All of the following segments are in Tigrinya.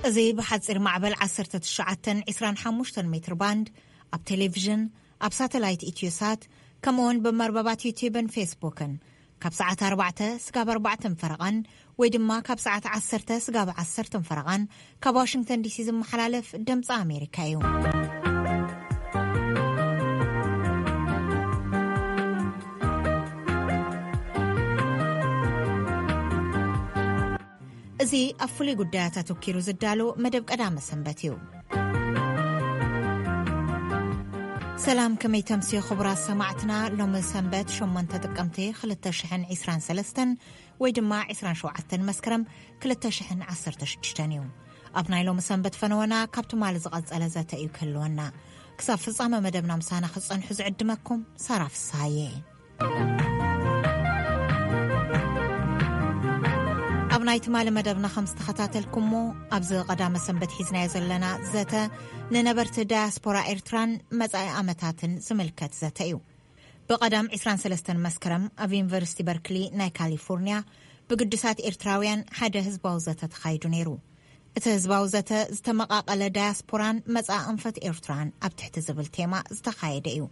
እዚ ብሓጺር ማዕበል ዓሰርተ ትሽዓተ ዒስራን ሓሙሽተን ሜትር ባንድ፣ ኣብ ቴሌቪዥን፣ ኣብ ሳተላይት ኢትዮሳት፣ ከምኡውን ብመርበባት ዩቲዩብን ፌስቡክን ካብ ሰዓት ኣርባዕተ ስጋብ ኣርባዕተን ፈረቓን ወይ ድማ ካብ ሰዓት ዓሰርተ ስጋብ ዓሰርተን ፈረቓን ካብ ዋሽንግተን ዲሲ ዝመሓላለፍ ድምፂ ኣሜሪካ እዩ። እዚ ኣብ ፍሉይ ጉዳያት ኣተኪሩ ዝዳሎ መደብ ቀዳመ ሰንበት እዩ። ሰላም፣ ከመይ ተምስዩ ክቡራት ሰማዕትና? ሎሚ ሰንበት ሸሞንተ ጥቅምቲ ክልተ ሽሕን ዕስራን ሰለስተን ወይ ድማ ዕስራን ሸውዓተን መስከረም ክልተ ሽሕን ዓሰርተ ሽዱሽተን እዩ። ኣብ ናይ ሎሚ ሰንበት ፈነወና ካብ ትማሊ ዝቐጸለ ዘተ እዩ ክህልወና። ክሳብ ፍጻመ መደብና ምሳና ክትጸንሑ ዝዕድመኩም ሳራ ፍስሃየ። ኣብ ናይ ትማሊ መደብና ከም ዝተኸታተልኩሞ፣ ኣብዚ ቀዳመ ሰንበት ሒዝናዮ ዘለና ዘተ ንነበርቲ ዳያስፖራ ኤርትራን መጻኢ ዓመታትን ዝምልከት ዘተ እዩ። ብቐዳም ዕስራን ሰለስተን መስከረም ኣብ ዩኒቨርሲቲ በርክሊ ናይ ካሊፎርኒያ ብግዱሳት ኤርትራውያን ሓደ ህዝባዊ ዘተ ተኻይዱ ነይሩ። እቲ ህዝባዊ ዘተ ዝተመቓቐለ ዳያስፖራን መጻኢ ኣንፈት ኤርትራን ኣብ ትሕቲ ዝብል ቴማ ዝተኻየደ እዩ።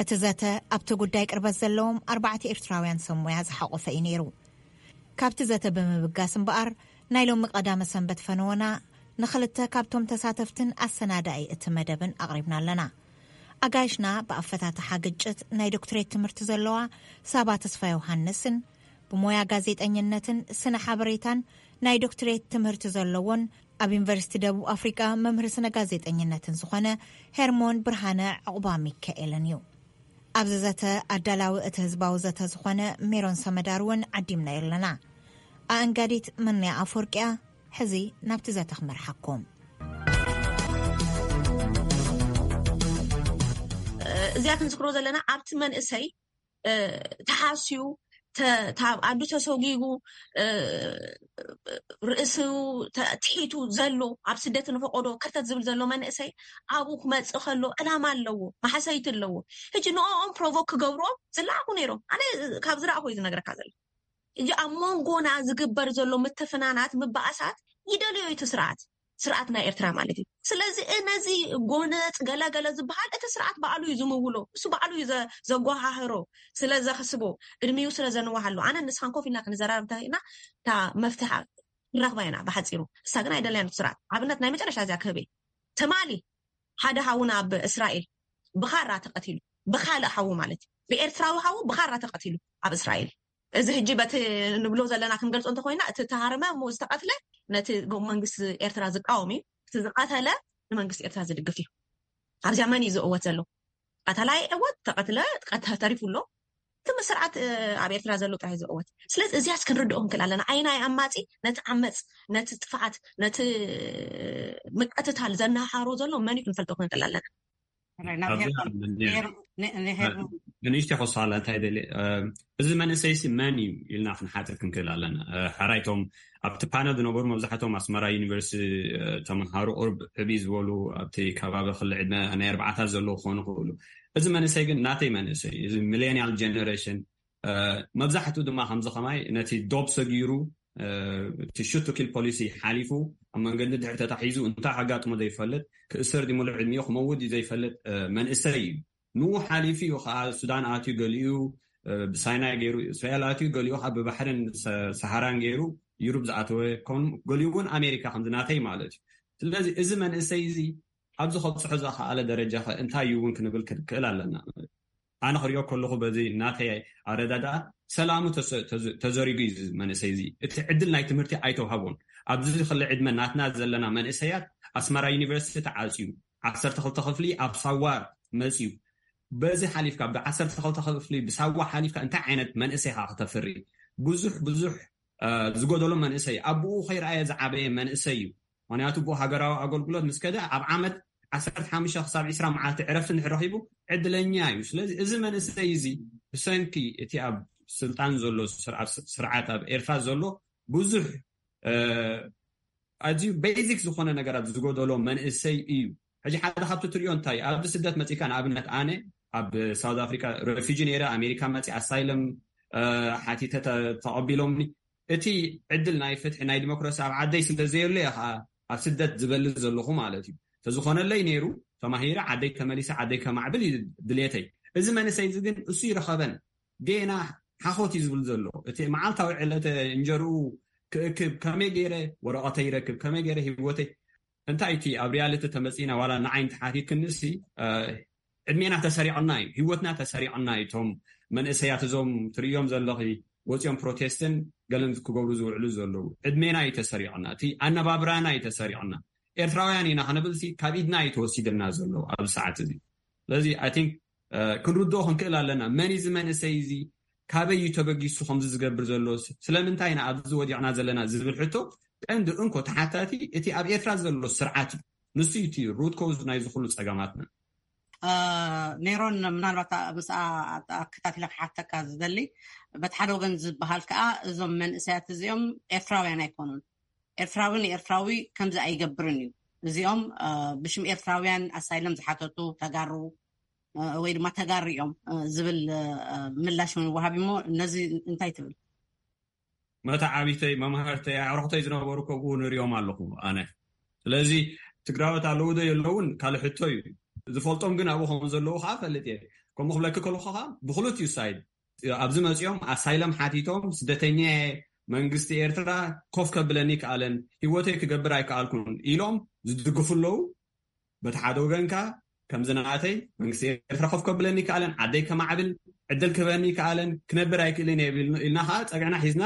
እቲ ዘተ ኣብቲ ጉዳይ ቅርበት ዘለዎም ኣርባዕተ ኤርትራውያን ሰብ ሞያ ዝሓቖፈ እዩ ነይሩ። ካብቲ ዘተ ብምብጋስ እምበኣር፣ ናይ ሎሚ ቀዳመ ሰንበት ፈነወና ንኽልተ ካብቶም ተሳተፍትን ኣሰናዳኢ እቲ መደብን ኣቕሪብና ኣለና። ኣጋይሽና ብኣፈታትሓ ግጭት ናይ ዶክትሬት ትምህርቲ ዘለዋ ሳባ ተስፋ ዮሃንስን ብሞያ ጋዜጠኝነትን ስነ ሓበሬታን ናይ ዶክትሬት ትምህርቲ ዘለዎን ኣብ ዩኒቨርሲቲ ደቡብ ኣፍሪቃ መምህር ስነ ጋዜጠኝነትን ዝኾነ ሄርሞን ብርሃነ ዕቑባ ሚካኤልን እዩ። ኣብዚ ዘተ ኣዳላዊ እቲ ህዝባዊ ዘተ ዝኾነ ሜሮን ሰመዳር እውን ዓዲምናዮ ኣለና። ኣእንጋዲት መንያ ኣፈወርቅያ ሕዚ ናብቲ ዘተ ክመርሓኩም። እዚኣ ክንዝክሮ ዘለና ኣብቲ መንእሰይ ተሓስዩ ኣዱ ተሰጒጉ ርእሱ ትሒቱ ዘሎ ኣብ ስደት ንፈቆዶ ከርተት ዝብል ዘሎ መንእሰይ ኣብኡ ክመፅእ ከሎ ዕላማ ኣለዎ፣ ማሕሰይቲ ኣለዎ። ሕጂ ንኦም ፕሮቮክ ክገብርኦም ዝለኣኹ ነይሮም። ኣነ ካብ ዝረኣኹ እዩ ዝነግረካ ዘሎ። ሕጂ ኣብ መንጎና ዝግበር ዘሎ ምትፍናናት ምበኣሳት ይደልዮ እቲ ስርዓት ስርዓት ናይ ኤርትራ ማለት እዩ። ስለዚ ነዚ ጎነፅ ገለገለ ዝበሃል እቲ ስርዓት ባዕሉ እዩ ዝምውሎ፣ እሱ ባዕሉ እዩ ዘጓሃህሮ። ስለ ዘኽስቦ፣ እድሚኡ ስለ ዘንዋሃሉ። ኣነ ንስኻን ኮፍ ኢልና ክንዘራረብ እንተና እታ መፍትሓ ንረኽባ ኢና ብሓፂሩ። እሳ ግን ኣይደለያን ስርዓት። ኣብነት ናይ መጨረሻ እዚኣ ክህበይ፣ ትማሊ ሓደ ሃውና ኣብ እስራኤል ብኻራ ተቐቲሉ፣ ብካልእ ሃው ማለት እዩ፣ ብኤርትራዊ ሃው ብኻራ ተቐቲሉ ኣብ እስራኤል። እዚ ሕጂ በቲ ንብሎ ዘለና ክንገልጾ እንተኮይና፣ እቲ ተሃረመ እሞ ዝተቐትለ ነቲ መንግስቲ ኤርትራ ዝቃወም እዩ። እቲ ዝቐተለ ንመንግስቲ ኤርትራ ዝድግፍ እዩ። ኣብዚኣ መን እዩ ዝእወት ዘሎ? ቀተላ ይዕወት፣ ተቐትለ ተሪፉ ኣሎ። እቲ ስርዓት ኣብ ኤርትራ ዘሎ ጥራይ ዝእወት። ስለዚ እዚያስ ክንርድኦ ክንክእል ኣለና። ኣይናይ ኣማጺ ነቲ ዓመጽ፣ ነቲ ጥፍዓት፣ ነቲ ምቅትታል ዘናሃሮ ዘሎ መን እዩ ክንፈልጦ ክንክእል ኣለና። ንእሽተ ክወስኻላ እንታይ ደሊ፣ እዚ መንእሰይሲ መን እዩ ኢልና ክንሓትት ክንክእል ኣለና። ሕራይቶም ኣብቲ ፓነል ዝነበሩ መብዛሕቶም ኣስመራ ዩኒቨርሲቲ ተምሃሩ፣ ቁርብ ዕብይ ዝበሉ ኣብቲ ከባቢ ክሊ ዕድመ ናይ ኣርባዓታት ዘለዉ ክኾኑ ክኽእሉ። እዚ መንእሰይ ግን ናተይ መንእሰይ፣ እዚ ሚሌኒያል ጀነሬሽን፣ መብዛሕትኡ ድማ ከምዚ ከማይ ነቲ ዶብ ሰጊሩ፣ እቲ ሹት ቱ ኪል ፖሊሲ ሓሊፉ ኣብ መንገዲ ድሕሪ ተታሒዙ እንታይ ከጋጥሞ ዘይፈልጥ፣ ክእሰር ድዩ ሙሉእ ዕድሚኡ ክመውት ድዩ ዘይፈልጥ መንእሰይ እዩ። ንኡ ሓሊፉ እዩ ከዓ ሱዳን ኣትዩ፣ ገሊኡ ብሳይናይ ገይሩ እስራኤል ኣትዩ፣ ገሊኡ ከዓ ብባሕርን ሰሃራን ገይሩ ዩሩብ ዝኣተወ፣ ከም ገሊኡ እውን ኣሜሪካ ከምዚ ናተይ ማለት እዩ። ስለዚ እዚ መንእሰይ እዚ ኣብዚ ከብፅሖ ዝኸኣለ ደረጃ ከ እንታይ እዩ እውን ክንብል ክንክእል ኣለና። ኣነ ክሪኦ ከለኹ በዚ ናተይ ኣረዳድኣ ሰላሙ ተዘሪጉ እዩ መንእሰይ እዚ። እቲ ዕድል ናይ ትምህርቲ ኣይተውሃቦን። ኣብዚ ክሊ ዕድመ ናትና ዘለና መንእሰያት ኣስመራ ዩኒቨርሲቲ ተዓፅዩ፣ ዓሰርተ ክልተ ክፍሊ ኣብ ሳዋ መፅዩ። በዚ ሓሊፍካ፣ ብ ዓሰርተ ክልተ ክፍሊ ብሳዋ ሓሊፍካ እንታይ ዓይነት መንእሰይ ኢኻ ክተፍሪ? ብዙሕ ብዙሕ ዝጎደሎ መንእሰይ፣ ኣቡኡ ከይረኣየ ዝዓበየ መንእሰይ እዩ። ምክንያቱ ብኡ ሃገራዊ ኣገልግሎት ምስ ከደ ኣብ ዓመት ዓሰርተ ሓሙሽተ ክሳብ ዕስራ መዓልቲ ዕረፍቲ እንድሕር ረኺቡ ዕድለኛ እዩ። ስለዚ እዚ መንእሰይ እዚ ብሰንኪ እቲ ኣብ ስልጣን ዘሎ ስርዓት ኣብ ኤርትራ ዘሎ ብዙሕ ኣዝዩ ቤዚክ ዝኾነ ነገራት ዝጎደሎ መንእሰይ እዩ። ሕጂ ሓደ ካብቲ ትሪኦ እንታይ ኣብዚ ስደት መፂካ፣ ንኣብነት ኣነ ኣብ ሳውት ኣፍሪካ ሬፊጂ ነይረ፣ ኣሜሪካ መፂ ኣሳይለም ሓቲተ ተቐቢሎምኒ። እቲ ዕድል ናይ ፍትሒ ናይ ዲሞክራሲ ኣብ ዓደይ ስለ ዘየሎ እየ ከዓ ኣብ ስደት ዝበሊ ዘለኹ ማለት እዩ። ተዝኾነለይ ነይሩ፣ ተማሂረ ዓደይ ተመሊሰ ዓደይ ከማዕብል እዩ ድሌተይ። እዚ መንእሰይ እዚ ግን እሱ ይረኸበን፣ ጌና ሓኾት እዩ ዝብል ዘሎ። እቲ መዓልታዊ ዕለተ እንጀርኡ ክእክብ፣ ከመይ ገይረ ወረቐተይ ይረክብ፣ ከመይ ገይረ ህይወተይ፣ እንታይ እቲ ኣብ ሪያሊቲ ተመጺና ዋላ ንዓይን ተሓቲትክንሲ፣ ዕድሜና ተሰሪቕና እዩ፣ ህይወትና ተሰሪቕና እዩ። እቶም መንእሰያት እዞም ትርእዮም ዘለኺ ወፂኦም ፕሮቴስትን ገለን ክገብሩ ዝውዕሉ ዘለዉ፣ ዕድሜና እዩ ተሰሪቕና፣ እቲ ኣነባብራና እዩ ተሰሪቕና። ኤርትራውያን ኢና ክንብልሲ ካብ ኢድና እዩ ተወሲድና ዘሎ ኣብ ሰዓት እዚ። ስለዚ ኣይ ቲንክ ክንርድኦ ክንክእል ኣለና። መን እዚ መንእሰይ እዚ፣ ካበይ እዩ ተበጊሱ ከምዚ ዝገብር ዘሎ፣ ስለምንታይ ኢና ኣብዚ ወዲቕና ዘለና ዝብል ሕቶ ቀንዲ እንኮ ተሓታቲ እቲ ኣብ ኤርትራ ዘሎ ስርዓት እዩ። ንሱ እዩ እቲ ሩት ኮዝ ናይዚ ኩሉ ጸገማትና። ሜሮን፣ ምናልባት ምስኣ ኣከታቲለ ክሓተካ ዝደሊ፣ በቲ ሓደ ወገን ዝበሃል ከዓ እዞም መንእሰያት እዚኦም ኤርትራውያን ኣይኮኑን። ኤርትራዊ ንኤርትራዊ ከምዚ ኣይገብርን እዩ። እዚኦም ብሽም ኤርትራውያን ኣሳይለም ዝሓተቱ ተጋሩ ወይ ድማ ተጋሩ እዮም ዝብል ምላሽ እውን ወሃቢ እሞ፣ ነዚ እንታይ ትብል? መተዓቢተይ፣ መምሃርተይ፣ ኣዕሩኽተይ ዝነበሩ ከብኡ ንሪኦም ኣለኹ ኣነ። ስለዚ ትግራዎት ኣለዉ ዶ የለውን ካልእ ሕቶ እዩ። ዝፈልጦም ግን ኣብኡ ከም ዘለዉ ከዓ ፈልጥ እየ። ከምኡ ክብለኪ ከለኹ ከዓ ብክልቲኡ ሳይድ ኣብዚ መፂኦም ኣሳይለም ሓቲቶም፣ ስደተኛ እየ፣ መንግስቲ ኤርትራ ኮፍ ከብለኒ ከኣለን፣ ህይወተይ ክገብር ኣይከኣልኩን ኢሎም ዝድግፉ ኣለዉ። በቲ ሓደ ወገንካ ከምዚ ናተይ መንግስቲ ኤርትራ ኮፍ ከብለኒ ከኣለን፣ ዓደይ ከማዕብል ዕድል ክህበኒ ከኣለን፣ ክነብር ኣይክእልን እየ ኢልና ከዓ ፀግዕና ሒዝና፣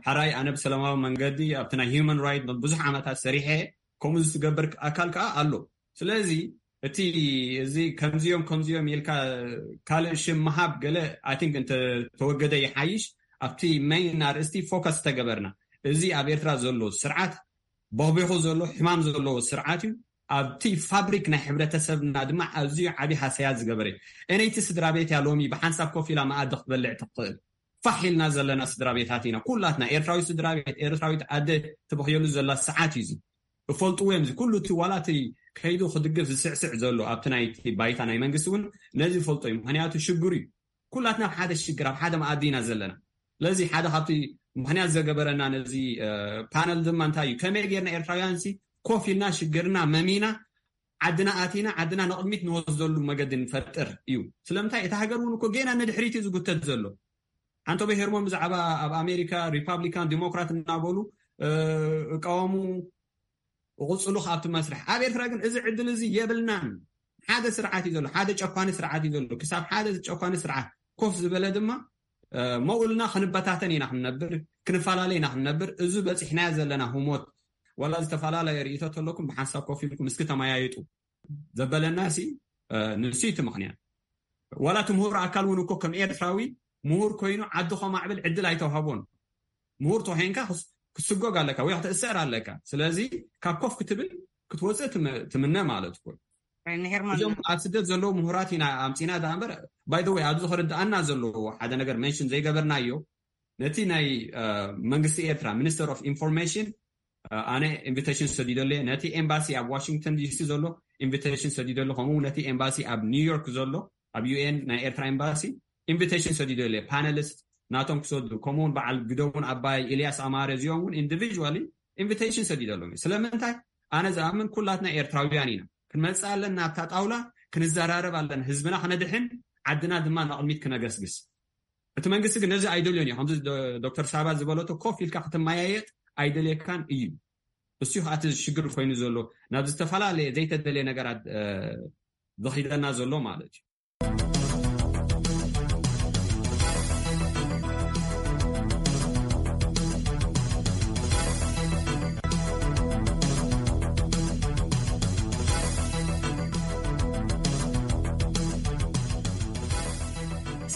ሓራይ ኣነ ብሰላማዊ መንገዲ ኣብቲ ናይ ሂውማን ራይት ብዙሕ ዓመታት ሰሪሐ፣ ከምኡ ዝገብር ኣካል ከዓ ኣሎ። ስለዚ እቲ እዚ ከምዚኦም ከምዚኦም ኢልካ ካልእ ሽም ምሃብ ገለ ኣይ ቲንክ እንተተወገደ ይሓይሽ። ኣብቲ መይን ኣርእስቲ ፎከስ ተገበርና፣ እዚ ኣብ ኤርትራ ዘሎ ስርዓት በቢኹ ዘሎ ሕማም ዘለዎ ስርዓት እዩ። ኣብቲ ፋብሪክ ናይ ሕብረተሰብና ድማ ኣዝዩ ዓብዪ ሃሰያ ዝገበረ እዩ። እነይቲ ስድራ ቤት እያ ሎሚ ብሓንሳብ ኮፍ ኢላ መኣዲ ክትበልዕ ትኽእል። ፋሕ ኢልና ዘለና ስድራ ቤታት ኢና ኩላትና። ኤርትራዊ ስድራ ቤት፣ ኤርትራዊት ኣደ ትበኽየሉ ዘላ ሰዓት እዩ እዚ። እፈልጥዎ እዮም። እዚ ኩሉ እቲ ዋላ እቲ ከይዱ ክድግፍ ዝስዕስዕ ዘሎ ኣብቲ ናይቲ ባይታ ናይ መንግስቲ እውን ነዚ ይፈልጦ እዩ። ምክንያቱ ሽግሩ እዩ። ኩላትና ኣብ ሓደ ሽግር፣ ኣብ ሓደ መኣዲ ኢና ዘለና። ስለዚ ሓደ ካብቲ ምክንያት ዘገበረና ነዚ ፓነል ድማ እንታይ እዩ፣ ከመይ ጌርና ኤርትራውያን ሲ ኮፍ ኢልና ሽግርና መሚና ዓድና ኣቲና ዓድና ንቕድሚት ንወስደሉ መገዲ ንፈጥር እዩ። ስለምንታይ እቲ ሃገር እውን እኮ ጌና ንድሕሪት እዩ ዝጉተት ዘሎ። ሓንቶ በሄርሞን ብዛዕባ ኣብ ኣሜሪካ ሪፓብሊካን ዲሞክራት እናበሉ እቃወሙ፣ እቕፅሉ ካብቲ መስርሕ። ኣብ ኤርትራ ግን እዚ ዕድል እዚ የብልናን። ሓደ ስርዓት እዩ ዘሎ፣ ሓደ ጨኳኒ ስርዓት እዩ ዘሎ። ክሳብ ሓደ ጨኳኒ ስርዓት ኮፍ ዝበለ ድማ መውልና ክንበታተን ኢና ክንነብር፣ ክንፈላለ ኢና ክንነብር። እዚ በፂሕናዮ ዘለና ህሞት ዋላ ዝተፈላለየ ርእቶ ተለኩም ብሓንሳብ ኮፍ ኢልኩም እስኪ ተመያየጡ ዘበለና ሲ ንሱ እቲ ምክንያት። ዋላ እቲ ምሁር ኣካል እውን እኮ ከም ኤርትራዊ ምሁር ኮይኑ ዓዲ ከማዕብል ዕድል ኣይተዋህቦን። ምሁር ተኮይንካ ክስጎግ ኣለካ ወይ ክትእሰር ኣለካ። ስለዚ ካብ ኮፍ ክትብል ክትወፅእ ትምነ ማለት እኮ። እዞም ኣብ ስደት ዘለዉ ምሁራት ኢና ኣምፂና ዳ እምበር። ባይ ወይ ኣብዚ ክርድኣና ዘለዎ ሓደ ነገር መንሽን ዘይገበርናዮ፣ ነቲ ናይ መንግስቲ ኤርትራ ሚኒስተር ኦፍ ኢንፎርሜሽን ኣነ ኢንቪቴሽን ሰዲደለየ። ነቲ ኤምባሲ ኣብ ዋሽንግተን ዲሲ ዘሎ ኢንቪቴሽን ሰዲደለ። ከምኡ ነቲ ኤምባሲ ኣብ ኒውዮርክ ዘሎ ኣብ ዩኤን ናይ ኤርትራ ኤምባሲ ኢንቪቴሽን ሰዲደለየ። ፓነሊስት ናቶም ክሰዱ፣ ከምኡውን በዓል ግደውን ኣባይ፣ ኢልያስ ኣማረ፣ እዚኦም እውን ኢንዲቪዥዋሊ ኢንቪቴሽን ሰዲደሎም። ስለምንታይ? ኣነ ዝኣምን ኩላትና ኤርትራውያን ኢና። ክንመጽእ ኣለና ኣብታ ጣውላ፣ ክንዘራረብ ኣለና፣ ህዝብና ክነድሕን ዓድና ድማ ንቕድሚት ክነገስግስ። እቲ መንግስቲ ግን ነዚ ኣይደልዮን እዩ። ከምዚ ዶክተር ሳባ ዝበለቶ ኮፍ ኢልካ ክትመያየጥ ኣይደልየካን እዩ። እሱ እዩ እቲ ሽግር ኮይኑ ዘሎ፣ ናብ ዝተፈላለየ ዘይተደልየ ነገራት ዝኺደና ዘሎ ማለት እዩ።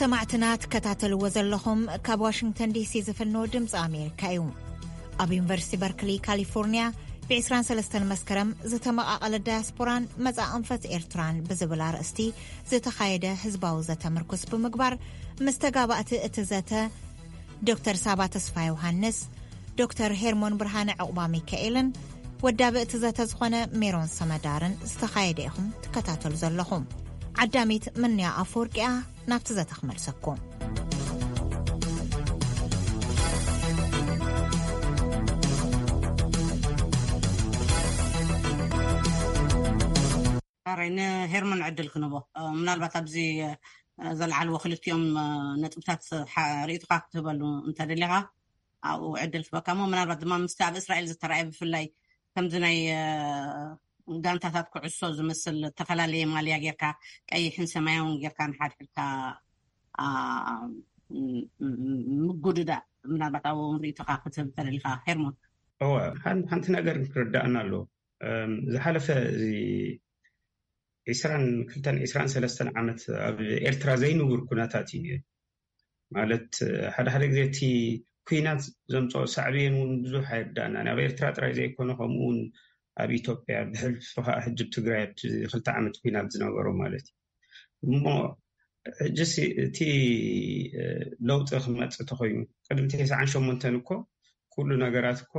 ሰማዕትና ትከታተልዎ ዘለኹም ካብ ዋሽንግተን ዲሲ ዝፍኖ ድምፂ ኣሜሪካ እዩ። ኣብ ዩኒቨርሲቲ በርክሊ ካሊፎርኒያ ብ23 መስከረም ዝተመቓቐለ ዳያስፖራን መጻኢ ኣንፈት ኤርትራን ብዝብል ኣርእስቲ ዝተኻየደ ህዝባዊ ዘተ ምርኩስ ብምግባር ምስ ተጋባእቲ እቲ ዘተ ዶክተር ሳባ ተስፋ ዮሃንስ፣ ዶክተር ሄርሞን ብርሃነ ዕቑባ ሚካኤልን ወዳቢ እቲ ዘተ ዝኾነ ሜሮን ሰመዳርን ዝተኻየደ ኢኹም ትከታተሉ ዘለኹም። ዓዳሚት ምንያ ኣፈወርቂያ ናብቲ ዘተ ክመልሰኩም። ኣራይ ንሄርሞን ዕድል ክንቦ ምናልባት ኣብዚ ዘለዓልዎ ክልቲኦም ነጥብታት ርኢትካ ክትህበሉ እንተደሊኻ ኣብኡ ዕድል ክበካ ሞ ምናልባት ድማ ምስቲ ኣብ እስራኤል ዝተረኣየ ብፍላይ ከምዚ ናይ ጋንታታት ኩዕሶ ዝመስል ዝተፈላለየ ማልያ ጌርካ ቀይሕን ሰማያውን ጌርካ ንሓድሕድካ ምጉድዳ ምናልባት ኣብኡ ርኢትካ ክትህብ እንተደሊኻ ሄርሞን። እወ ሓንቲ ነገር ክርዳእና ኣሎ። ዝሓለፈ እዚ ዒስራን ክልተን ዒስራን ሰለስተን ዓመት ኣብ ኤርትራ ዘይንቡር ኩነታት እዩ። ማለት ሓደ ሓደ ግዜ እቲ ኩናት ዘምፅኦ ሳዕቤን እውን ብዙሕ ኣይርዳእናን። ኣብ ኤርትራ ጥራይ ዘይኮነ ከምኡ እውን ኣብ ኢትዮጵያ ብሕልፊ ከዓ ሕጂ ኣብ ትግራይ ኣብቲ ክልተ ዓመት ኩናት ዝነበሮ ማለት እዩ። እሞ ሕጂ እቲ ለውጢ ክመፅእ ተኮይኑ ቅድሚ ተስዓን ሸሞንተን እኮ ኩሉ ነገራት እኮ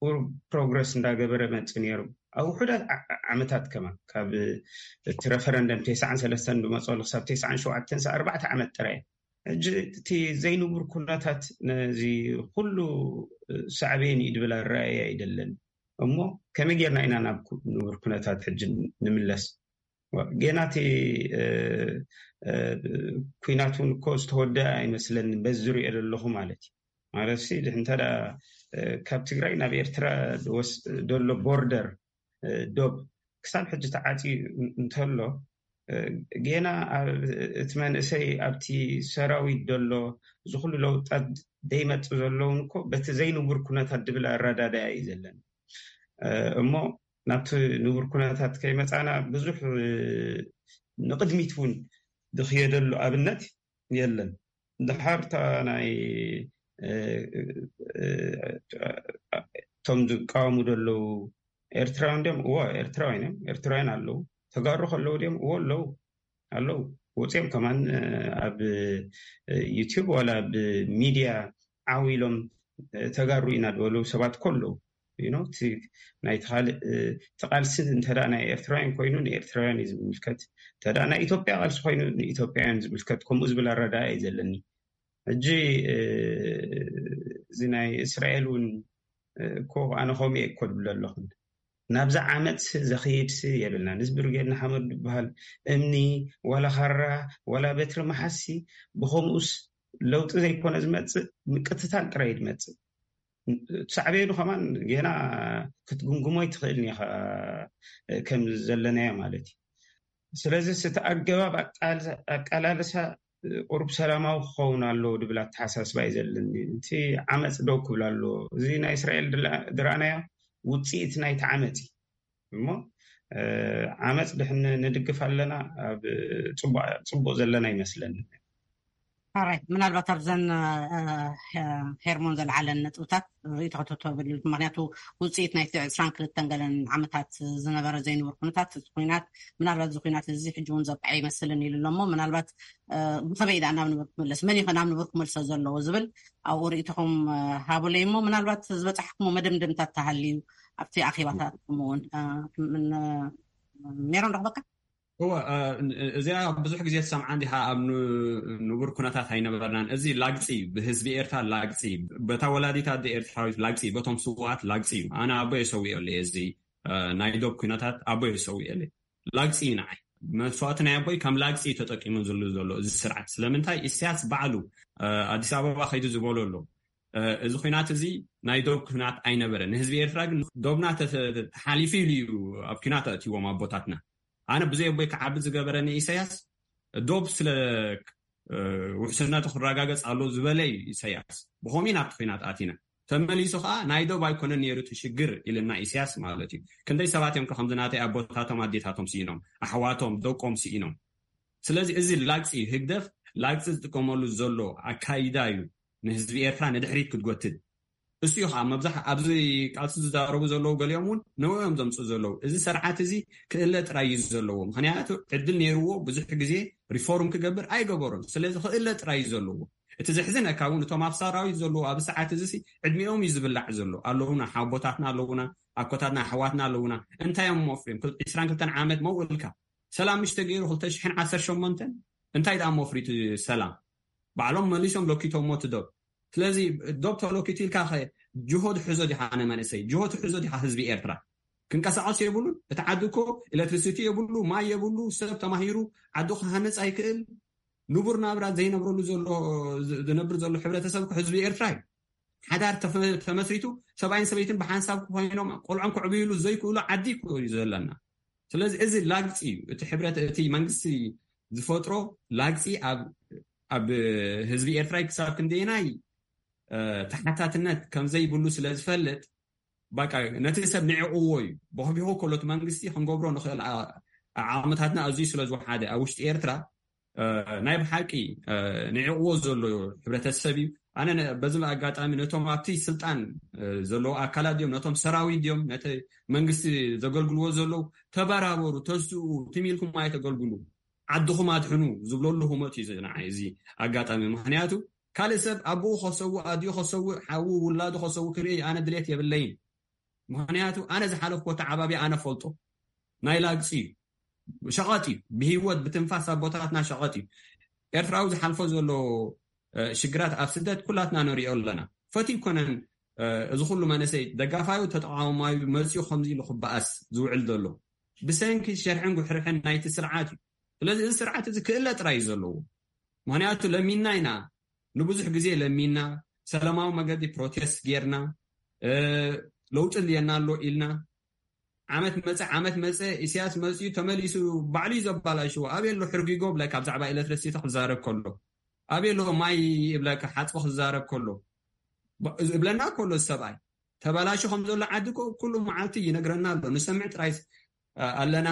ቁሩብ ፕሮግረስ እንዳገበረ መፅእ ነይሩ ኣብ ውሑዳት ዓመታት ከማን ካብ እቲ ረፈረንደም ተስዓን ሰለስተን ዝመፀሉ ክሳብ ተስዓን ሸውዓተን ኣርባዕተ ዓመት ጥራይ። ሕጂ እቲ ዘይንቡር ኩነታት ነዚ ኩሉ ሳዕቤን እዩ ድብል ኣረኣየ ኣይደለን። እሞ ከመይ ጌርና ኢና ናብ ንቡር ኩነታት ሕጂ ንምለስ? ጌና እቲ ኩናት እውን እኮ ዝተወደአ ኣይመስለኒ በዚ ዝሪኦ ዘለኹ ማለት እዩ። ማለት ሲ እንተ ካብ ትግራይ ናብ ኤርትራ ዘሎ ቦርደር ዶብ ክሳብ ሕጂ ተዓፂ እንተሎ ጌና እቲ መንእሰይ ኣብቲ ሰራዊት ዘሎ እዚ ኩሉ ለውጣት ደይመፅ ዘለውን እኮ በቲ ዘይንቡር ኩነታት ድብል ኣረዳዳያ እዩ ዘለኒ። እሞ ናብቲ ንቡር ኩነታት ከይመፃና ብዙሕ ንቕድሚት እውን ዝኽየደሉ ኣብነት የለን። ድሓር እታ ናይ እቶም ዝቃወሙ ዘለዉ ኤርትራውያን ድም እዎ ኤርትራውያን እዮም ኤርትራውያን ኣለዉ። ተጋሩ ከለዉ ድም እዎ ኣለዉ ኣለዉ። ወፅኦም ከማን ኣብ ዩቲዩብ ዋላ ኣብ ሚድያ ዓው ኢሎም ተጋሩ ኢና ዝበሉ ሰባት ከለዉ ናይቲ ካልእ ተቃልሲ እንተ ናይ ኤርትራውያን ኮይኑ ንኤርትራውያን እዩ ዝምልከት። እንተ ናይ ኢትዮጵያ ቃልሲ ኮይኑ ንኢትዮጵያውያን ዝምልከት ከምኡ ዝብል ኣረዳኣ እዩ ዘለኒ። ሕጂ እዚ ናይ እስራኤል እውን እኮ ኣነ ከምኡ እኮ ድብል ኣለኹን። ናብዚ ዓመት ዘኽይድሲ የብልና። ንዚ ብርጌድ ንሓመድ ዝበሃል እምኒ ዋላ ካራ ዋላ በትሪ መሓሲ ብኸምኡስ ለውጢ ዘይኮነ ዝመፅእ ምቅትታል ጥራይ ድመፅእ። ሳዕቤኑ ከማን ጌና ክትግምግሞ ይትኽእል ኒኻ ከም ዘለናዮ ማለት እዩ። ስለዚ እቲ ኣገባብ ኣቃላልሳ ቁሩብ ሰላማዊ ክኸውን ኣለዎ ድብል ኣተሓሳስባ እዩ ዘለኒ። እቲ ዓመፅ ደው ክብል ኣለዎ። እዚ ናይ እስራኤል ድረኣናዮ ውፅኢት ናይቲ ዓመፅ እዩ እሞ ዓመፅ ድሕን ንድግፍ ኣለና ኣብ ፅቡቅ ዘለና ይመስለኒ። ራይ ምናልባት ኣብዘን ሄርሞን ዘለዓለን ነጥብታት ርእቶ ከተተብል ምክንያቱ ውፅኢት ናይ ዕስራን ክልተን ገለን ዓመታት ዝነበረ ዘይንብር ኩነታት እዚ ኩናት ምናልባት እዚ ኩናት እዚ ሕጂ እውን ዘብቃ ይመስልን ኢሉ ኣሎ እሞ ምናልባት ብኸመይ ዳ ናብ ንብር ክምለስ መን ይኸ ናብ ንብር ክመልሶ ዘለዎ ዝብል ኣብኡ ርእቶኹም ሃቡለይ እሞ ምናልባት ዝበፃሕኩሞ መደምደምታት ተሃልዩ ኣብቲ ኣኼባታትኩም እውን ሜሮን ረኽበካ። እወ እዚኣ ብዙሕ ግዜ ትሰምዓ እንዲኻ ኣብ ንቡር ኩነታት ኣይነበርናን። እዚ ላግፂ እዩ፣ ብህዝቢ ኤርትራ ላግፂ እዩ፣ በታ ወላዲት ኣደ ኤርትራዊት ላግፂ እዩ፣ በቶም ስውኣት ላግፂ እዩ። ኣነ ኣቦ የሰዊኦ ኣለ እዚ ናይ ዶብ ኩነታት ኣቦ የሰዊኦ ኣለ። ላግፂ እዩ ንዓይ መስዋእቲ ናይ ኣቦይ ከም ላግፂ እዩ ተጠቂሙ ዝሉ ዘሎ እዚ ስርዓት። ስለምንታይ ኢሳያስ ባዕሉ ኣዲስ ኣበባ ከይዱ ዝበሎ ኣሎ እዚ ኩናት እዚ ናይ ዶብ ኩናት ኣይነበረ። ንህዝቢ ኤርትራ ግን ዶብና ተሓሊፉ ኢሉ እዩ ኣብ ኩናት ኣእትዎም ኣቦታትና። ኣነ ብዘይ ኣቦይ ክዓቢ ዝገበረኒ ኢሳያስ ዶብ ስለ ውሕስነቱ ክረጋገጽ ኣሎ ዝበለ እዩ ኢሳያስ። ብኸምኡ ኢና ኣብቲ ኩናት ኣቲና። ተመሊሱ ከዓ ናይ ዶብ ኣይኮነን ነይሩ እቲ ሽግር ኢልና ኢሳያስ ማለት እዩ። ክንደይ ሰባት እዮም ከምዚ ናተይ ኣቦታቶም ኣዴታቶም ስኢኖም፣ ኣሕዋቶም ደቆም ስኢኖም። ስለዚ እዚ ላግፂ እዩ። ህግደፍ ላግፂ ዝጥቀመሉ ዘሎ ኣካይዳ እዩ ንህዝቢ ኤርትራ ንድሕሪት ክትጎትት። እሱ እዩ ከዓ መብዛሕ ኣብዚ ቃልሲ ዝዛረቡ ዘለዉ ገሊኦም እውን ንዕኡ እዮም ዘምፅኡ ዘለዉ። እዚ ስርዓት እዚ ክእለ ጥራይ እዩ ዘለዎ። ምክንያቱ ዕድል ነይርዎ ብዙሕ ግዜ ሪፎርም ክገብር ኣይገበሮን። ስለዚ ክእለ ጥራይ እዩ ዘለዎ። እቲ ዘሕዝነካ እውን እቶም ኣብ ሰራዊት ዘለዉ ኣብ ሰዓት እዚ ዕድሚኦም እዩ ዝብላዕ ዘሎ። ኣለውና ሓቦታትና ኣለውና ኣኮታትና ኣሕዋትና ኣለውና። እንታይ እዮም መፍርዮም ዕስራን ክልተን ዓመት መውእልካ ሰላም ምሽ ተገይሩ ክልተ ሽሕን ዓሰርተ ሸሞንተን እንታይ ደኣ መፍሪቱ ሰላም ባዕሎም መሊሶም ለኪቶሞ ትደብ። ስለዚ ዶብ ተለኪቱ ኢልካ ኸ ጅሆ ትሕዞ ዲኻ? ኣነ መንእሰይ ጅሆ ትሕዞ ዲኻ? ህዝቢ ኤርትራ ክንቀሳቐስ የብሉን። እቲ ዓዲ እኮ ኤሌክትሪሲቲ የብሉ፣ ማይ የብሉ፣ ሰብ ተማሂሩ ዓዱ ክሃነፅ ኣይክእል። ንቡር ናብራ ዘይነብረሉ ዘሎ ዝነብር ዘሎ ሕብረተሰብ ህዝቢ ኤርትራ እዩ። ሓዳር ተመስሪቱ ሰብኣይን ሰበይትን ብሓንሳብ ኮይኖም ቆልዖም ክዕብይሉ ዘይክእሉ ዓዲ እዩ ዘለና። ስለዚ እዚ ላግፂ እዩ። እቲ ሕብረት እቲ መንግስቲ ዝፈጥሮ ላግፂ ኣብ ህዝቢ ኤርትራ ክሳብ ክንደየናይ ተሓታትነት ከምዘይብሉ ስለ ዝፈልጥ፣ በቃ ነቲ ሰብ ንዕቕዎ እዩ። በኽቢኹ ከሎ እቲ መንግስቲ ክንገብሮ ንኽእል ዓቕምታትና ኣዝዩ ስለ ዝወሓደ ኣብ ውሽጢ ኤርትራ ናይ ብሓቂ ንዕቕዎ ዘሎ ሕብረተሰብ እዩ። ኣነ በዚ ኣጋጣሚ ነቶም ኣብቲ ስልጣን ዘለዉ ኣካላት ድዮም፣ ነቶም ሰራዊት ድዮም፣ ነቲ መንግስቲ ዘገልግልዎ ዘለዉ፣ ተበራበሩ፣ ተስኡ፣ ትም ኢልኩም ኣይተገልግሉ፣ ዓድኹም ኣድሕኑ ዝብለሉ ህሞት እዩ ንዓይ እዚ ኣጋጣሚ። ምክንያቱ ካልእ ሰብ ኣቦኡ ከሰውእ፣ ኣዲኡ ከሰውእ፣ ሓዉ ውላዱ ከሰውእ ክርኢ ኣነ ድሌት የብለይን። ምክንያቱ ኣነ ዝሓለፍኮ ተዓባቢ ኣነ ፈልጦ። ናይ ላግፂ እዩ፣ ሸቐጥ እዩ። ብህይወት ብትንፋስ ኣቦታትና ሸቐጥ እዩ። ኤርትራዊ ዝሓልፎ ዘሎ ሽግራት ኣብ ስደት ኩላትና ንሪኦ ኣለና። ፈትዩ ኮነን እዚ ኩሉ መንእሰይ ደጋፋዩ ተቃዋማዩ መፅኡ ከምዚ ኢሉ ክበኣስ ዝውዕል ዘሎ ብሰንኪ ሸርሕን ጉሕርሕን ናይቲ ስርዓት እዩ። ስለዚ እዚ ስርዓት እዚ ክእለ ጥራይ እዩ ዘለዎ። ምክንያቱ ለሚና ኢና፣ ንብዙሕ ግዜ ለሚና፣ ሰላማዊ መገዲ ፕሮቴስት ጌርና፣ ለውጢ ልየና ኣሎ ኢልና። ዓመት መፀ ዓመት መፀ፣ ኢሳያስ መፅኡ ተመሊሱ ባዕሉ እዩ ዘባላሽዎ። ኣበይ ኣሎ ሕርጊጎ ብለካ ብዛዕባ ኤሌክትሪሲቲ ክዛረብ ከሎ፣ ኣበይ ኣሎ ማይ ይብለካ ሓፅቢ ክዛረብ ከሎ እብለና ከሎ ሰብኣይ ተባላሹ ከም ዘሎ ዓዲ ኩሉ መዓልቲ ይነግረና ኣሎ። ንሰምዕ ጥራይ ኣለና።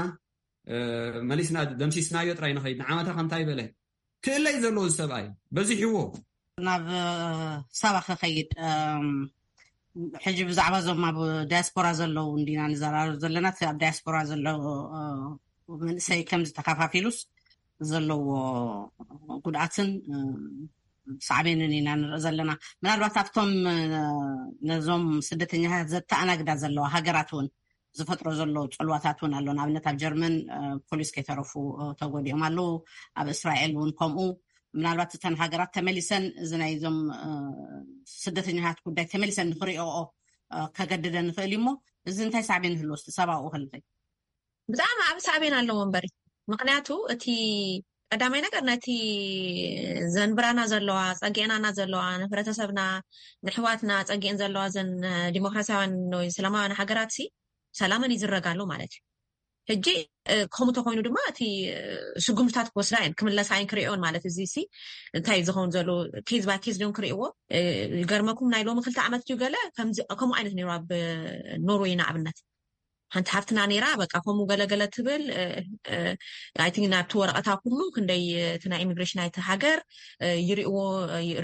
መሊስና ደምሲስናዮ ጥራይ ንኸይድ። ንዓመታ ከምታይ በለ ክእለይ ዘለዎ ሰብኣይ በዚሕዎ። ናብ ሳባ ክኸይድ ሕጂ ብዛዕባ እዞም ኣብ ዳያስፖራ ዘለዉ እንዲና ንዘራርብ ዘለና። እቲ ኣብ ዳያስፖራ ዘሎ መንእሰይ ከምዚ ተካፋፊሉስ ዘለዎ ጉድኣትን ሳዕቤንን ኢና ንርኢ ዘለና። ምናልባት ኣብቶም ነዞም ስደተኛታት ዘተኣናግዳ ዘለዋ ሃገራት እውን ዝፈጥሮ ዘሎ ፅልዋታት እውን ኣሎ። ንኣብነት ኣብ ጀርመን ፖሊስ ከይተረፉ ተጎዲኦም ኣለዉ። ኣብ እስራኤል እውን ከምኡ። ምናልባት እተን ሃገራት ተመሊሰን እዚ ናይዞም ስደተኛታት ጉዳይ ተመሊሰን ንክሪኦኦ ከገድደን ንኽእል እዩ። እሞ እዚ እንታይ ሳዕቤን ይህልዎ? እስቲ ሰብኣኡ ከልኸይ ብጣዕሚ ዓብ ሳዕቤን ኣለዎ እምበሪ። ምክንያቱ እቲ ቀዳማይ ነገር ነቲ ዘንብራና ዘለዋ፣ ጸጊዕናና ዘለዋ፣ ንሕብረተሰብና፣ ንሕዋትና ጸጊዕን ዘለዋ ዘን ዲሞክራሲያውያን ወይ ሰላማውያን ሃገራት ሲ ሰላመን ይዝረጋሉ ማለት እዩ። ሕጂ ከምኡ ተኮይኑ ድማ እቲ ስጉምትታት ክወስዳ እየን ክምለሳ እየን ክሪኦን ማለት እዚ ሲ እንታይ ዝኸውን ዘሎ ኬዝ ባይ ኬዝ ዲዮም ክሪእዎ። ይገርመኩም ናይ ሎሚ ክልተ ዓመት ድዩ ገለ ከምኡ ዓይነት ነይሩ ኣብ ኖርወይ ንኣብነት ሓንቲ ሃፍትና ነይራ በቃ ከምኡ ገለገለ ትብል። ኣይ ቲንክ ናብቲ ወረቐታ ኩሉ ክንደይ እቲ ናይ ኢሚግሬሽን ናይቲ ሃገር ይሪእዎ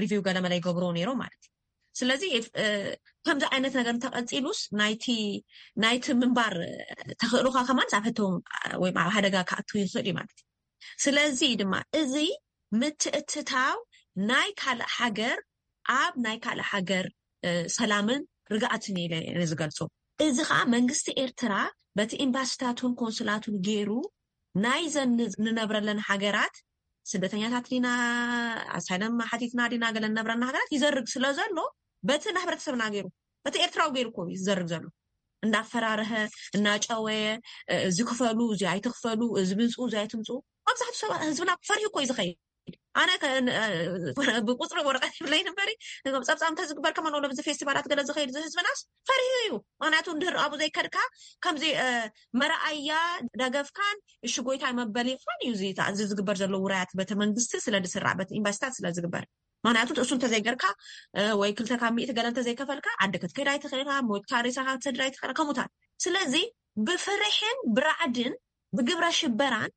ሪቪው ገለመለ ይገብርዎ ነይሮ ማለት እዩ። ስለዚ ከምዚ ዓይነት ነገር እንተቐፂሉስ ናይቲ ናይቲ ምንባር ተኽእሎካ ከማን ኣብ ሕቶ ወይ ኣብ ሓደጋ ክኣቱ ይኽእል እዩ ማለት እዩ። ስለዚ ድማ እዚ ምትእትታው ናይ ካልእ ሃገር ኣብ ናይ ካልእ ሃገር ሰላምን ርግኣትን ኢለ ዝገልፆ። እዚ ከዓ መንግስቲ ኤርትራ በቲ ኤምባሲታቱን ኮንስላቱን ገይሩ ናይዘን ንነብረለን ሃገራት ስደተኛታት ዲና ኣሳይለም ሓቲትና ዲና ገለ ንነብረና ሃገራት ይዘርግ ስለ ዘሎ በቲ ንሕብረተሰብና ገይሩ በቲ ኤርትራዊ ገይሩ እኮ እዩ ዝዘርግ ዘሎ። እንዳፈራረሀ እናጨወየ እዚ ክፈሉ እዚ ኣይትክፈሉ እዚ ምንፅኡ እዚ ኣይትምፅኡ መብዛሕትኡ ሰባት ህዝብና ፈሪሁ እኮ እዩ ዝኸይድ። ኣነ ብቁፅሪ ወረቀት ይብለይ ንበሪ ጸብጻብ እንተዝግበር ከማን ወሎ ብዚ ፌስቲቫላት ገለ ዝኸይድ እዚ ህዝብናስ ፈሪሁ እዩ። ምክንያቱ እንድህር ኣብኡ ዘይከድካ ከምዚ መረኣያ ደገፍካን እሺ ጎይታይ መበሊኻን እዩ እዚ ዝግበር ዘሎ ውራያት በቲ መንግስቲ ስለ ዝስራዕ በቲ ኢንቨስታት ስለ ዝግበር። ምክንያቱ እሱ እንተዘይገርካ ወይ ክልተ ካብ ሚእቲ ገለ እንተዘይከፈልካ ዓዲ ክትከይድ ኣይትኽእልካ፣ ሞትካ ሬሳኻ ክትሰድድ ኣይትኽእልካ ከምኡታት። ስለዚ ብፍርሕን ብራዕድን ብግብረ ሽበራን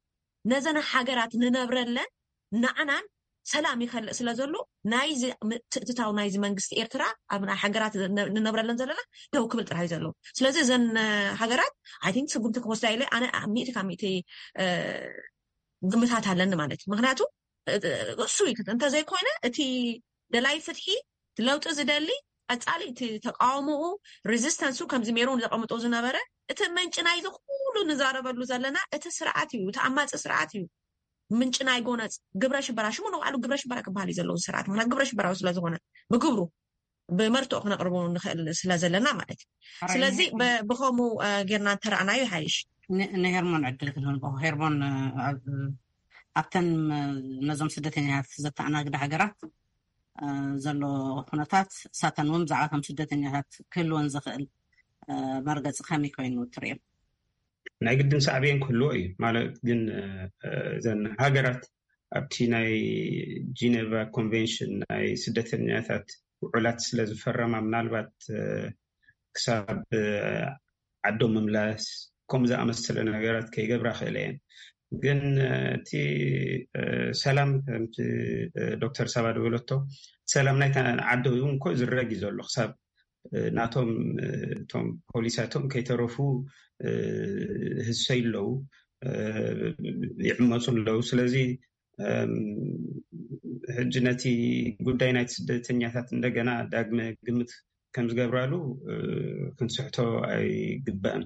ነዘን ሃገራት ንነብረለን ንዓናን ሰላም ይኸልእ ስለ ዘሎ ናይዚ ምትእትታው ናይዚ መንግስቲ ኤርትራ ኣብ ናይ ሃገራት ንነብረለን ዘለና ደው ክብል ጥራይ ዘለዎ። ስለዚ እዘን ሃገራት ኣይ ቲንክ ስጉምቲ ክወስዳ ኢለ ኣነ ሚእቲ ካብ ሚእቲ ግምታት ኣለኒ ማለት እዩ። ምክንያቱ እሱ እዩ እንተዘይኮይነ እቲ ደላይ ፍትሒ ለውጢ ዝደሊ ቀፃሊ እቲ ተቃውሞኡ ሬዚስተንሱ ከምዚ ሜሮን ዘቐምጦ ዝነበረ እቲ ምንጭ ናይዚ ኩሉ ንዛረበሉ ዘለና እቲ ስርዓት እዩ፣ እቲ ኣማፂ ስርዓት እዩ። ምንጭ ናይ ጎነፅ ግብረ ሽበራ ሽሙ ንባዕሉ ግብረ ሽበራ ክበሃል እዩ ዘለዎ ስርዓት ምክንያት ግብረ ሽበራዊ ስለዝኮነ ብግብሩ ብመርትኦ ክነቕርቦ ንኽእል ስለ ዘለና ማለት እዩ። ስለዚ ብኸምኡ ጌርና እንተረኣናዩ ይሓይሽ። ንሄርሞን ዕድል ክንህልቦ። ሄርሞን፣ ኣብተን ነዞም ስደተኛታት ዘተኣናግዳ ሃገራት ዘሎ ኩነታት፣ እሳተን እውን ብዛዕባቶም ስደተኛታት ክህልወን ዝኽእል መርገፂ ከመይ ኮይኑ ትርእዮ? ናይ ግድን ሳዕቤን ክህልዎ እዩ ማለት ግን፣ እዘን ሃገራት ኣብቲ ናይ ጂኔቫ ኮንቬንሽን ናይ ስደተኛታት ውዕላት ስለ ዝፈረማ፣ ምናልባት ክሳብ ዓዶም ምምላስ ከምኡ ዝኣመሰለ ነገራት ከይገብራ ክእለ እየን። ግን እቲ ሰላም፣ ከምቲ ዶክተር ሳባ ዝበለቶ፣ ሰላም ናይታ ዓዲ እውን እኮ ዝረግ እዩ ዘሎ። ክሳብ ናቶም እቶም ፖሊሳቶም ከይተረፉ ህሰይ ኣለዉ፣ ይዕመፁ ኣለዉ። ስለዚ ሕጂ ነቲ ጉዳይ ናይቲ ስደተኛታት እንደገና ዳግመ ግምት ከም ዝገብራሉ ክንስሕቶ ኣይግባእን።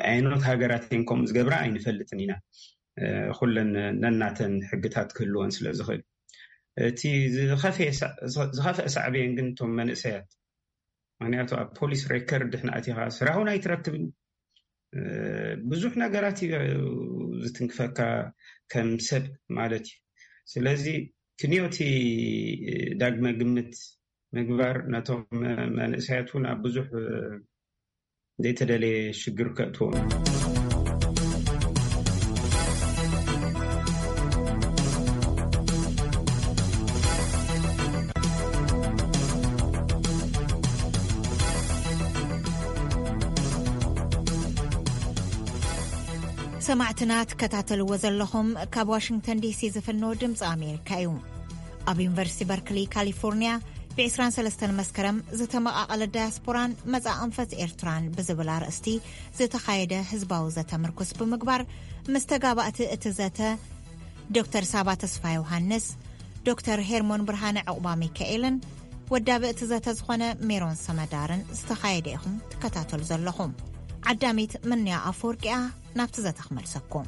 ኣየኖት ሃገራት እየን ከምኡ ዝገብራ ኣይንፈልጥን ኢና። ኩለን ነናተን ሕግታት ክህልወን ስለ ዝኽእል፣ እቲ ዝኸፍአ ሳዕቤን ግን እቶም መንእሰያት፣ ምክንያቱ ኣብ ፖሊስ ሬከርድ ድሕና ኣቲኻ ስራሕ እውን ኣይትረክብን። ብዙሕ ነገራት እዩ ዝትንክፈካ ከም ሰብ ማለት እዩ። ስለዚ ክንዮቲ ዳግመ ግምት ምግባር ነቶም መንእሰያት እውን ኣብ ብዙሕ ዘይተደለየ ሽግር ከእትዎም። ሰማዕትና ትከታተልዎ ዘለኹም ካብ ዋሽንግተን ዲሲ ዝፍኖ ድምፂ ኣሜሪካ እዩ። ኣብ ዩኒቨርሲቲ በርክሊ ካሊፎርኒያ ብ23 መስከረም ዝተመቓቐለ ዳያስፖራን መጻእ ኣንፈት ኤርትራን ብዝብል ኣርእስቲ ዝተኻየደ ህዝባዊ ዘተ ምርኩስ ብምግባር ምስ ተጋባእቲ እቲ ዘተ ዶክተር ሳባ ተስፋ ዮሃንስ፣ ዶክተር ሄርሞን ብርሃነ ዕቑባ ሚካኤልን ወዳቢ እቲ ዘተ ዝኾነ ሜሮን ሰመዳርን ዝተኻየደ ኢኹም ትከታተሉ ዘለኹም። ዓዳሚት ምንያ ኣፈወርቂያ ናብቲ ዘተ ክመልሰኩም።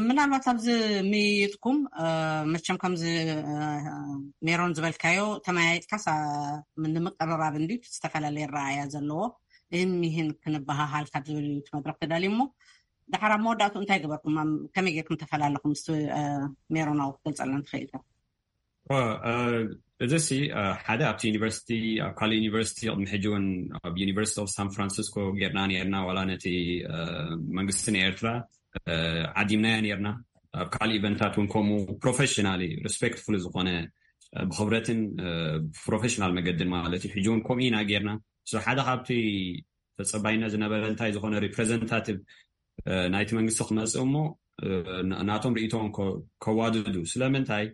ምናልባት ኣብዚ ምይይጥኩም መቸም ከምዚ ሜሮን ዝበልካዮ ተመያይጥካስ ንምቅርራብ እንዲ ዝተፈላለየ ረኣያ ዘለዎ እህን ሚህን ክንበሃሃል ካብ ዝብል እዩ እቲ መድረክ ተዳልዩ እሞ፣ ድሓር ኣብ መወዳእቱ እንታይ ገበርኩም? ከመይ ጌርኩም ተፈላለኹም ምስ ሜሮናዊ ክትገልጸልና ትኽእል? እዚ ሲ ሓደ ኣብቲ ዩኒቨርሲቲ፣ ኣብ ካልእ ዩኒቨርሲቲ ቅድሚ ሕጂ እውን ኣብ ዩኒቨርሲቲ ኦፍ ሳን ፍራንሲስኮ ጌርና ነርና። ዋላ ነቲ መንግስቲ ናይ ኤርትራ ዓዲምናያ ነርና። ኣብ ካልእ ኢቨንታት እውን ከምኡ ፕሮፌሽናሊ ሪስፔክትፉል ዝኾነ ብክብረትን ፕሮፌሽናል መገድን ማለት እዩ። ሕጂ እውን ከምኡ ኢና ጌርና። ሓደ ካብቲ ተፀባይነት ዝነበረ እንታይ ዝኾነ ሪፕሬዘንታቲቭ ናይቲ መንግስቲ ክመፅእ እሞ ናቶም ርእይቶን ከዋድዱ። ስለምንታይ?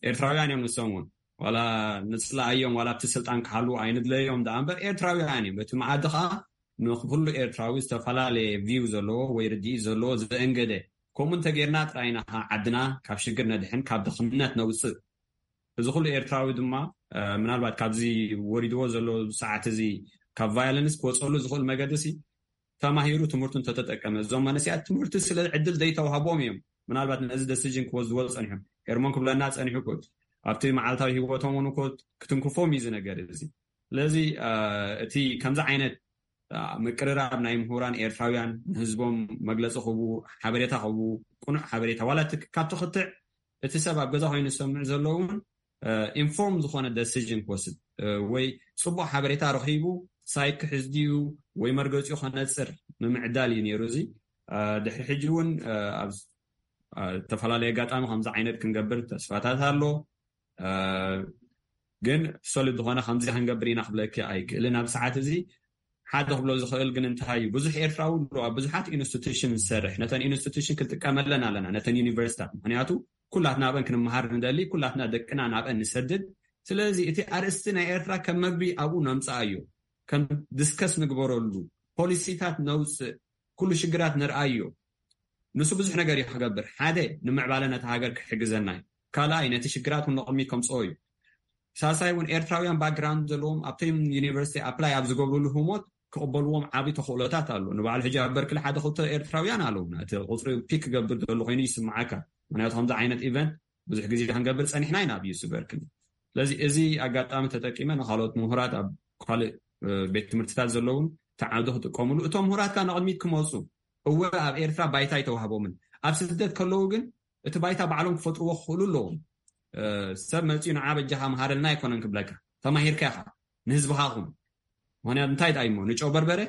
ኤርትራውያን እዮም ንሶም እውን። ዋላ ንፅላኣዮም ዋላ ኣብቲ ስልጣን ክሃልዉ ኣይንድለዮም ደኣ እምበር ኤርትራውያን እዮም። እቲ መኣዲ ከዓ ንኩሉ ኤርትራዊ ዝተፈላለየ ቪው ዘለዎ ወይ ርድኢት ዘለዎ ዘእንገደ። ከምኡ እንተጌርና ጥራይ ኢና ከዓ ዓድና ካብ ሽግር ነድሕን ካብ ድኽነት ነውፅእ። እዚ ኩሉ ኤርትራዊ ድማ ምናልባት ካብዚ ወሪድዎ ዘሎ ሰዓት እዚ ካብ ቫዮለንስ ክወፀሉ ዝኽእል መገዲ ሲ ተማሂሩ ትምህርቱ እንተተጠቀመ፣ እዞም መንእሰያት ትምህርቲ ስለ ዕድል ዘይተዋህቦም እዮም ምናልባት ነዚ ደሲዥን ክወስድዎ ፀኒሖም። ኤርሞን ክብለና ፀኒሑ እኮ ኣብቲ መዓልታዊ ህይወቶም እውን እኮ ክትንክፎም እዩ እዚ ነገር እዚ። ስለዚ እቲ ከምዚ ዓይነት ምቅርራብ ናይ ምሁራን ኤርትራውያን ንህዝቦም መግለፂ ክህቡ፣ ሓበሬታ ክህቡ፣ ቅኑዕ ሓበሬታ ዋላ እቲ ካብቲ ክትዕ እቲ ሰብ ኣብ ገዛ ኮይኑ ዝሰምዕ ዘሎ እውን ኢንፎርም ዝኾነ ደሲዥን ክወስድ ወይ ፅቡቅ ሓበሬታ ረኺቡ ሳይክ ክሕዝ ድዩ ወይ መርገፂኡ ከነፅር ንምዕዳል እዩ ነይሩ። እዚ ድሕሪ ሕጂ እውን ኣብ ዝተፈላለየ ኣጋጣሚ ከምዚ ዓይነት ክንገብር ተስፋታት ኣሎ። ግን ሶሊድ ዝኾነ ከምዚ ክንገብር ኢና ክብለኪ ኣይክእልን። ኣብ ሰዓት እዚ ሓደ ክብሎ ዝኽእል ግን እንታይ እዩ፣ ብዙሕ ኤርትራዊ ኣሎ ኣብ ብዙሓት ኢንስቲቱሽን ዝሰርሕ። ነተን ኢንስቲቱሽን ክንጥቀመለን ኣለና፣ ነተን ዩኒቨርሲታት። ምክንያቱ ኩላትና ኣብአን ክንመሃር ንደሊ፣ ኩላትና ደቅና ናብአን ንሰድድ። ስለዚ እቲ ኣርእስቲ ናይ ኤርትራ ከም መግቢ ኣብኡ ነምፅኣዮ፣ ከም ዲስከስ ንግበረሉ፣ ፖሊሲታት ነውፅእ፣ ኩሉ ሽግራት ንርኣዮ። ንሱ ብዙሕ ነገር እዩ ክገብር። ሓደ ንምዕባለ ነቲ ሃገር ክሕግዘና እዩ። ካልኣይ ነቲ ሽግራት እውን ንቕድሚት ከምፅኦ እዩ። ሳልሳይ እውን ኤርትራውያን ባክግራውንድ ዘለዎም ኣብቶም ዩኒቨርሲቲ ኣፕላይ ኣብ ዝገብሩሉ ህሞት ክቕበልዎም ዓቢ ተኽእሎታት ኣሎ። ንባዕሉ ሕጂ ኣብ በርክሊ ሓደ ክልተ ኤርትራውያን ኣለውና። እቲ ቁጽሪ ፒክ ክገብር ዘሎ ኮይኑ ይስምዓካ። ምክንያቱ ከምዚ ዓይነት ኢቨንት ብዙሕ ግዜ ክንገብር ጸኒሕና ኢና ኣብ ዩሲ በርክሊ። ስለዚ እዚ ኣጋጣሚ ተጠቂመ ንካልኦት ምሁራት ኣብ ካልእ ቤት ትምህርትታት ዘለውን ተዓውዶ ክጥቀምሉ፣ እቶም ምሁራት ከዓ ንቕድሚት ክመፁ፣ እወ ኣብ ኤርትራ ባይታ ኣይተዋህቦምን፣ ኣብ ስደት ከለዉ ግን እቲ ባይታ ባዕሎም ክፈጥርዎ ክኽእሉ ኣለዎም። ሰብ መፂኡ ንዓ በጃኻ መሃረልና ኣይኮነን ክብለካ፣ ተማሂርካ ኢኻ ንህዝብኻ ኹን። ምክንያቱ እንታይ ዳይሞ ንጨው በርበረ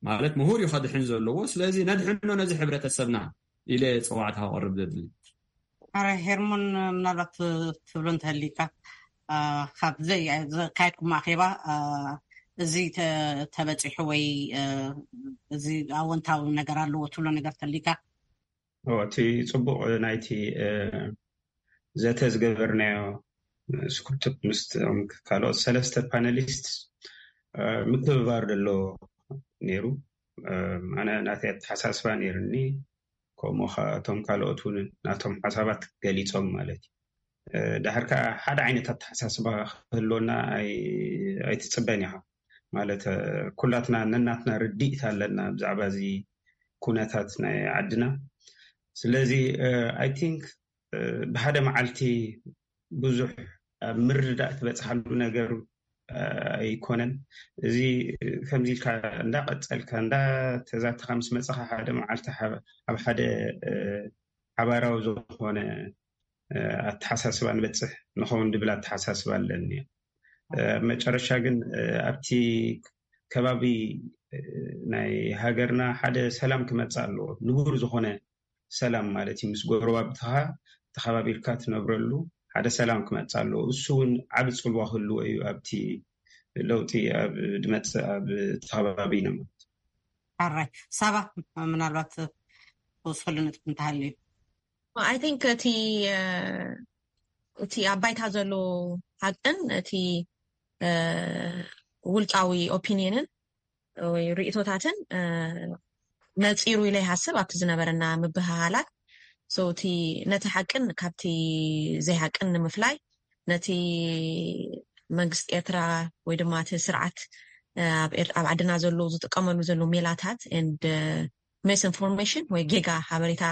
ማለት ምሁር እዩ ከድሕን ዘለዎ። ስለዚ ነድሕኖ ነዚ ሕብረተሰብና ኢለ ፀዋዕታ ከቕርብ ዘድሊ። ኣረ ሄርሞን፣ ምናልባት ትብሎ እንተህሊካ፣ ካብ ዘካየድኩም ኣኼባ እዚ ተበፂሑ ወይ እዚ ኣወንታዊ ነገር ኣለዎ ትብሎ ነገር ተሊካ? እቲ ፅቡቅ ናይቲ ዘተ ዝገበርናዮ ስኩርቱፕ ምስ ካልኦት ሰለስተ ፓነሊስት ምክብባር ዘሎ ነይሩ። ኣነ ናተይ ኣተሓሳስባ ነይርኒ፣ ከምኡ ከ እቶም ካልኦት እውን ናቶም ሓሳባት ገሊፆም ማለት እዩ። ዳሕር ከዓ ሓደ ዓይነት ኣተሓሳስባ ክህልወና ኣይትፅበን ኢኻ ማለት፣ ኩላትና ነናትና ርድኢት ኣለና ብዛዕባ እዚ ኩነታት ናይ ዓድና። ስለዚ ኣይ ቲንክ ብሓደ መዓልቲ ብዙሕ ኣብ ምርዳእ ትበፅሓሉ ነገር ኣይኮነን። እዚ ከምዚ ኢልካ እንዳቀፀልካ እንዳተዛተኻ ምስ መፀኻ ሓደ መዓልቲ ኣብ ሓደ ሓባራዊ ዝኾነ ኣተሓሳስባ ንበፅሕ ንኸውን ድብል ኣተሓሳስባ ኣለኒ። መጨረሻ ግን ኣብቲ ከባቢ ናይ ሃገርና ሓደ ሰላም ክመፅእ ኣለዎ። ንቡር ዝኾነ ሰላም ማለት እዩ፣ ምስ ጎረባብትኻ ተኸባቢርካ ትነብረሉ ሓደ ሰላም ክመፅእ ኣለዎ። እሱ እውን ዓቢ ፅልዋ ክህልዎ እዩ ኣብቲ ለውጢ ኣብ ድመፅእ ኣብ ተኸባቢ ኢና ማለት። ሓራይ ሳባ፣ ምናልባት ተወስኸሉ ነጥብ እንተሃልዩ? I think እቲ እቲ ኣብ ባይታ ዘሎ ሓቅን እቲ ውልቃዊ ኦፒኒየንን ወይ ርእቶታትን ነፂሩ ኢለ ይሃስብ ኣብቲ ዝነበረና ምብህሃላት። እቲ ነቲ ሓቅን ካብቲ ዘይሓቅን ንምፍላይ ነቲ መንግስቲ ኤርትራ ወይ ድማ እቲ ስርዓት ኣብ ዓድና ዘሎ ዝጥቀመሉ ዘሎ ሜላታት and misinformation ወይ ጌጋ ሓበሬታ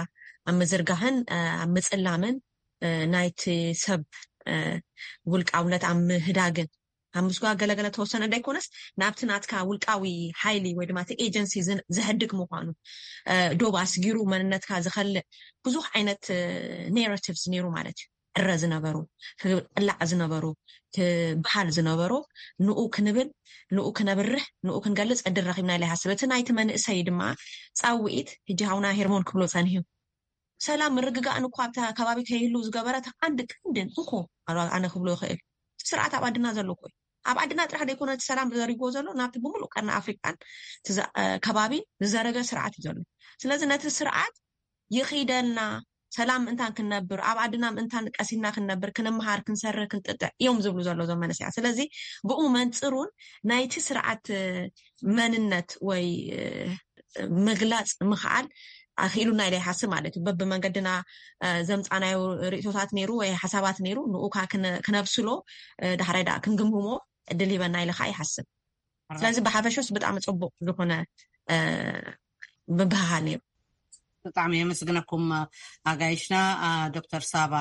ኣብ ምዝርጋሕን ኣብ ምፅላምን ናይቲ ሰብ ውልቃውነት ኣብ ምህዳግን ኣብ ምስጓ ገለገለ ተወሰነ እንዳይኮነስ ናብቲ ናትካ ውልቃዊ ሓይሊ ወይ ድማ እቲ ኤጀንሲ ዘሕድግ ምኳኑ ዶብ ኣስጊሩ መንነትካ ዝኸልእ ብዙሕ ዓይነት ኔራቲቭስ ነይሩ ማለት እዩ። ዕረ ዝነበሩ ክቅላዕ ዝነበሩ ክበሃል ዝነበሩ ንኡ ክንብል ንኡ ክነብርህ ንኡ ክንገልፅ ዕድል ረኪብና ኢለ ይሃስብ። እቲ ናይቲ መንእሰይ ድማ ፃውዒት ሕጂ ሃውና ሄርሞን ክብሎ ፀኒሑ ሰላም ምርግጋእን እኳ ኣብታ ከባቢ ከይህሉ ዝገበረ እቲ ቀንዲ ቀንድን እኮ ኣነ ክብሎ ይኽእል ስርዓት ኣብ ዓድና ዘሎ እኮ እዩ። ኣብ ዓድና ጥራሕ ዘይኮነ እቲ ሰላም ዘሪጎ ዘሎ ናብቲ ብምሉእ ቀርኒ ኣፍሪቃን ከባቢን ዝዘረገ ስርዓት እዩ ዘሎ። ስለዚ ነቲ ስርዓት ይኽይደልና ሰላም ምእንታን ክንነብር ኣብ ዓድና ምእንታን ቀሲና ክንነብር ክንምሃር ክንሰርህ ክንጥጥዕ እዮም ዝብሉ ዘሎ ዞም መንእሰያት። ስለዚ ብኡ መንፅሩን ናይቲ ስርዓት መንነት ወይ ምግላፅ ምኽኣል ኣኽኢሉና ኢለ ይሓስብ ማለት እዩ። በብመንገድና ዘምፃናዮ ርእቶታት ነይሩ ወይ ሓሳባት ነይሩ ንኡካ ክነብስሎ ዳሕራይ ዳ ክንግምግሞ ዕድል ሂበና ኢለ ከዓ ይሓስብ። ስለዚ ብሓፈሾስ ብጣዕሚ ፅቡቅ ዝኾነ ምብህሃል ነይሩ። ብጣዕሚ የመስግነኩም ኣጋይሽና ዶክተር ሳባ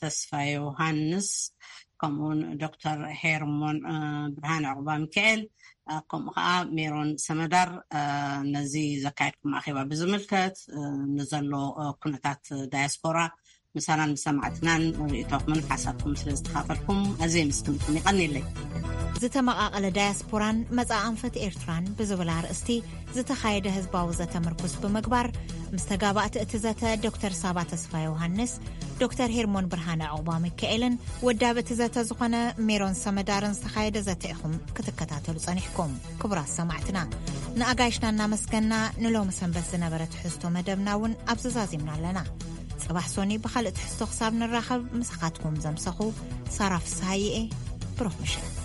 ተስፋ ዮሃንስ ከምኡውን ዶክተር ሄርሞን ብርሃን ዕቁባ ሚካኤል ከምኡ ከዓ ሜሮን ሰመዳር ነዚ ዘካየድኩም ኣኼባ ብዝምልከት ንዘሎ ኩነታት ዳያስፖራ ምሳናን ምሰማዕትናን ርእቶኹምን ሓሳብኩም ስለ ዝተኻፈልኩም ኣዝየ ምስክምኩም ይቐኒለይ። ዝተመቓቐለ ዳያስፖራን መጻእ ኣንፈት ኤርትራን ብዝብል ኣርእስቲ ዝተኻየደ ህዝባዊ ዘተ ምርኩስ ብምግባር ምስ ተጋባእቲ እቲ ዘተ ዶክተር ሳባ ተስፋ ዮሃንስ፣ ዶክተር ሄርሞን ብርሃነ ዕቑባ ሚካኤልን ወዳብ እቲ ዘተ ዝኾነ ሜሮን ሰመዳርን ዝተኻየደ ዘተ ኢኹም ክትከታተሉ ጸኒሕኩም። ክቡራት ሰማዕትና ንኣጋይሽና እናመስገና ንሎሚ ሰንበት ዝነበረ ትሕዝቶ መደብና እውን ኣብዚ ዛዚምና ኣለና። ጽባሕ ሶኒ ብኻልእ ትሕዝቶ ክሳብ ንራኸብ ምሳኻትኩም ዘምሰኹ ሳራ ፍስሃይኤ። ብሩኽ ምሸት።